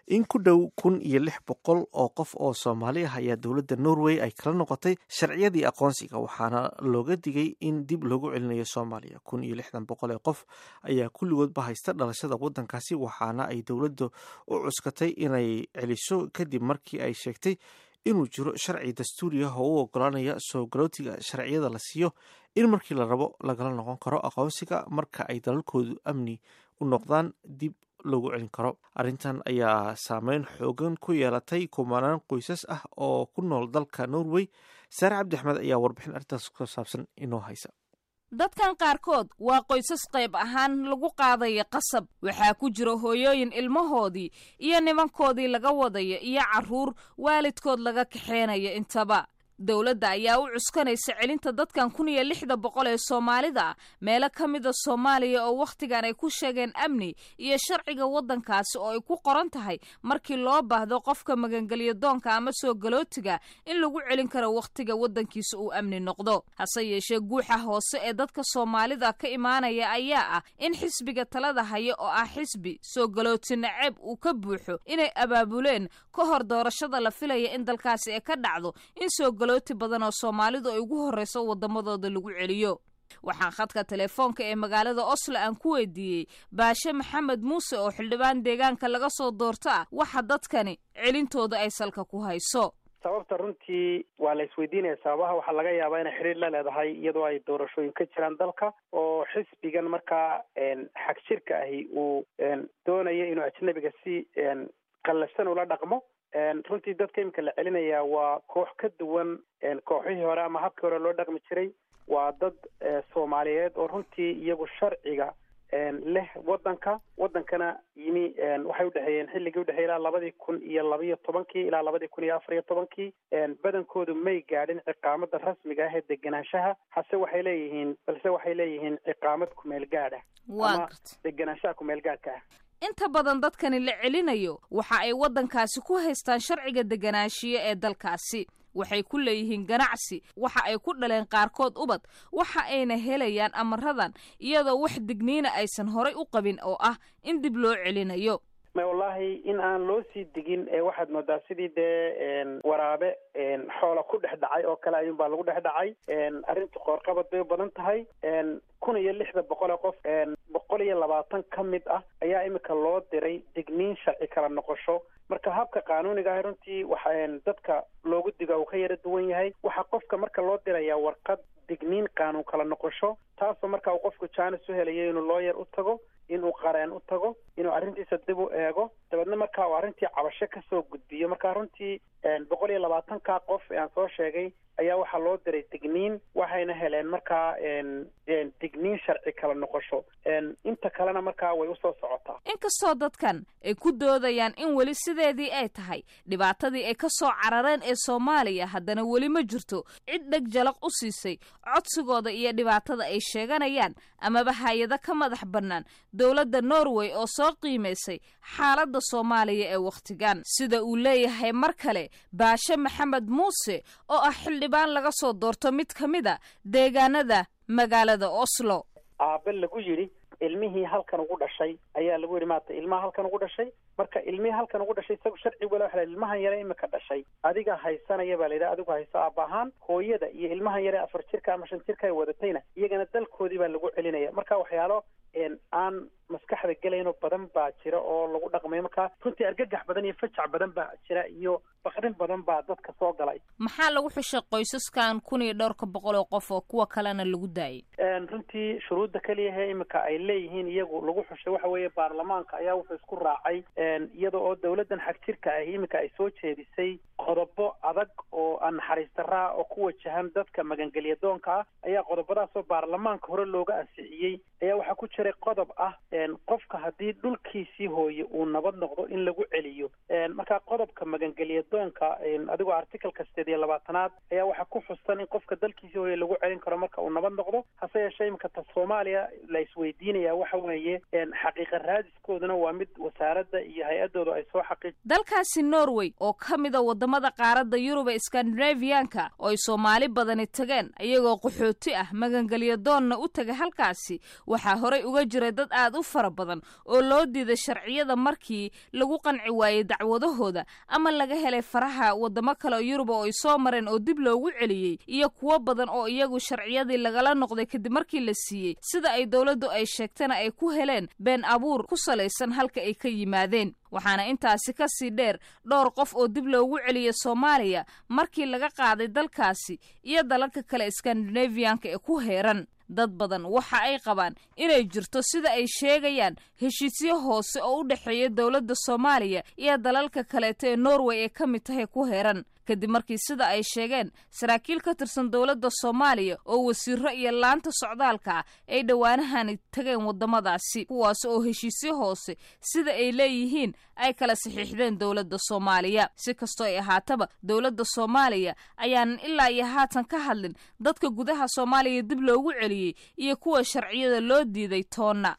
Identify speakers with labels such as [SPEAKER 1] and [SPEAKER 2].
[SPEAKER 1] In ku dhow 1600 oo qof oo Soomaali ah ayaa dowladda Norway ay kala noqotay sharciyadii aqoonsiga, waxaana looga digay in dib loogu celinayo Soomaaliya. 1600 ee qof ayaa kulligoodba haysta dhalashada waddankaasi, waxaana ay dowladda u cuskatay inay celiso kadib markii ay sheegtay inuu jiro sharci dastuuri ah oo u ogolaanaya soo galootiga sharciyada la siiyo in markii la rabo lagala noqon karo aqoonsiga marka ay dalalkoodu amni u noqdaan dib loogu celin karo. Arrintan ayaa saameyn xoogan ku yeelatay kumanaan qoysas ah oo ku nool dalka Norway. Saare Cabdi Axmed ayaa warbixin arrintaas ku saabsan inoo haysa.
[SPEAKER 2] Dadkan qaarkood waa qoysas qayb ahaan lagu qaadaya qasab. Waxaa ku jira hooyooyin ilmahoodii iyo nimankoodii laga wadaya iyo carruur waalidkood laga kaxeenaya intaba. Dowladda ayaa u cuskanaysa celinta dadkan 1600 ee Soomaalida ah meelo ka mida Soomaaliya oo wakhtigan ay ku sheegeen amni iyo sharciga waddankaasi oo ay ku qoran tahay markii loo baahdo qofka magangelyo doonka ama soo galootiga in lagu celin karo wakhtiga waddankiisa uu amni noqdo. Hase yeeshee, guuxa hoose ee dadka Soomaalida ka imaanaya ayaa ah in xisbiga talada haya, oo ah xisbi soo galooti naceeb uu ka buuxo, inay abaabuleen ka hor doorashada la filaya in dalkaasi ay ka dhacdo in soo galooti badan oo Soomaalidu ay ugu horreyso waddamadooda lagu celiyo. Waxaan khadka telefoonka ee magaalada Oslo aan ku weydiiyey Baashe Maxamed Muuse, oo xildhibaan deegaanka laga soo doorto ah, waxa dadkani celintooda ay salka ku hayso.
[SPEAKER 3] Sababta runtii waa la isweydiinaya. Sababaha waxaa laga yaabaa inay xiriir la leedahay iyadoo ay doorashooyin ka jiraan dalka, oo xisbigan markaa xagjirka ahi uu doonayo inuu ajnabiga si qallafsan ula dhaqmo. Runtii dadka iminka la celinayaa waa koox ka duwan kooxihii hore ama habkii hore loo dhaqmi jiray. Waa dad Soomaaliyeed oo runtii iyagu sharciga leh waddanka, waddankana yimi waxay udhexeeyeen xilligii udhexeeyey ilaa 2012-kii ilaa 2014-kii. Badankoodu may gaadhin ciqaamada rasmiga ah ee degenaanshaha, hase waxay leeyihiin balse waxay leeyihiin ciqaamad kumeel gaadha ama degenaanshaha kumeel gaadhka ah.
[SPEAKER 2] Inta badan dadkani la celinayo waxa ay waddankaasi ku haystaan sharciga deganaanshiye ee dalkaasi, waxay ku leeyihiin ganacsi, waxa ay ku dhaleen qaarkood ubad, waxa ayna helayaan amaradan iyadoo wax digniina aysan horay u qabin oo ah in dib loo celinayo.
[SPEAKER 3] May, wallaahi in aan loo sii digin ee waxaad moodaa sidii dee waraabe xoola ku dhex dhacay oo kale ayuunbaa lagu dhex dhacay. Arrintu qoorqabad bay u badan tahay. 1600 ee qof, 120 ka mid ah ayaa imika loo diray digniin sharci kala noqosho. Marka habka qaanuuniga ah runtii waxa dadka loogu diga uu ka yara duwan yahay. Waxaa qofka marka loo dirayaa warqad digniin qaanuun kala noqosho, taasoo marka uu qofku jaanis u helayo inuu looyar u tago, inuu qareen u tago, inuu arrintiisa dib u eego, dabeedna marka uu arrintii cabasho kasoo gudbiyo. Marka runtii 120-ka qof ee aan soo sheegay ayaa waxaa loo diray digniin, waxayna heleen markaa digniin sharci kala noqosho. Inta kalena markaa way usoo socotaa.
[SPEAKER 2] Inkastoo dadkan ay ku doodayaan in weli sideedii ay tahay dhibaatadii ay ka soo carareen ee Soomaaliya, haddana weli ma jirto cid dheg jalaq u siisay codsigooda iyo dhibaatada ay sheeganayaan amaba hay-ado ka madax bannaan dowladda Norway oo soo qiimaysay xaaladda Soomaaliya ee wakhtigan, sida uu leeyahay mar kale Baashe Maxamed Muuse, oo ah xildhibaan laga soo doorto mid ka mid a deegaanada magaalada Oslo.
[SPEAKER 3] Aabe lagu yidhi ilmihii halkan ugu dhashay ayaa lagu yidhi maata ilmaha halkan ugu dhashay. Marka ilmihii halkan ugu dhashay isagu sharci wala waxa la ilmahan yare imika dhashay adiga haysanaya baa la yidhaha, adigu hayso aabba ahaan. Hooyada iyo ilmahan yare 4 jirka ama 5 jirka ay wadatayna iyagana dalkoodii baa lagu celinaya. Marka waxyaalo aan maskaxda gelaynoo badan baa jira oo lagu dhaqmayo. Marka runtii argagax badan iyo fajac badan baa jira iyo baqdin badan baa dadka soo galay.
[SPEAKER 2] Maxaa lagu xushay qoysaskan kun iyo dhowrka boqol oo qof oo kuwa kalena lagu daayay?
[SPEAKER 3] Runtii shuruudda keliyahe imika ay leeyihiin iyagu lagu xushay waxa weeye baarlamaanka ayaa wuxuu isku raacay, iyada oo dowladdan xagjirka ahi imika ay soo jeedisay qodobo adag oo aan naxariis darraa oo ku wajahan dadka magangelya doonka ah, ayaa qodobadaasoo baarlamaanka hore looga ansixiyey ayaa waxaa ku jiray qodob ah qofka haddii dhulkiisii hooye uu nabad noqdo in lagu celiyo. Marka qodobka magangelya doonka adigoo articleka 28aad ayaa waxaa ku xusan in qofka dalkiisii hooye lagu celin karo marka uu nabad noqdo. Hase yeeshee, imika ta Soomaaliya la isweydiinaya waxa weeye xaqiiqa raadiskooduna waa mid wasaaradda iyo hay-addoodu ay soo xaqiij
[SPEAKER 2] Dalkaasi Norway oo ka mida wadamada Wadamada qaaradda Yurub ee Skandinaviyanka oo ay Soomaali badani tageen iyagoo qaxooti ah, magangelyo doonna u taga halkaasi, waxaa horey uga jiray dad aad u fara badan oo loo diiday sharciyada markii lagu qanci waayey dacwadahooda ama laga helay faraha wadamo kale oo Yurub oo ay soo mareen oo dib loogu celiyey, iyo kuwo badan oo iyagu sharciyadii lagala noqday kadib markii la siiyey, sida ay dowladdu ay sheegtana ay ku heleen been abuur ku salaysan halka ay ka yimaadeen. Waxaana intaasi ka sii dheer dhowr qof oo dib loogu celiyey Soomaaliya markii laga qaaday dalkaasi iyo dalalka kale Skandinaviyanka ee ku heeran. Dad badan waxa ay qabaan inay jirto, sida ay sheegayaan, heshiisyo hoose oo u dhexeeya dowladda Soomaaliya iyo dalalka kaleeto ee Norway ee ka mid tahay ku heeran, kadib markii, sida ay sheegeen saraakiil ka tirsan dowladda Soomaaliya oo wasiiro iyo laanta socdaalka ah, ay dhowaanahani tageen waddamadaasi, kuwaas oo heshiisyo hoose, sida ay leeyihiin, ay kala saxiixdeen dowladda Soomaaliya. Si kastoo ay ahaataba, dowladda Soomaaliya ayaanan ilaa iyo haatan ka hadlin dadka gudaha Soomaaliya dib loogu celiyey iyo kuwa sharciyada loo diiday toonna.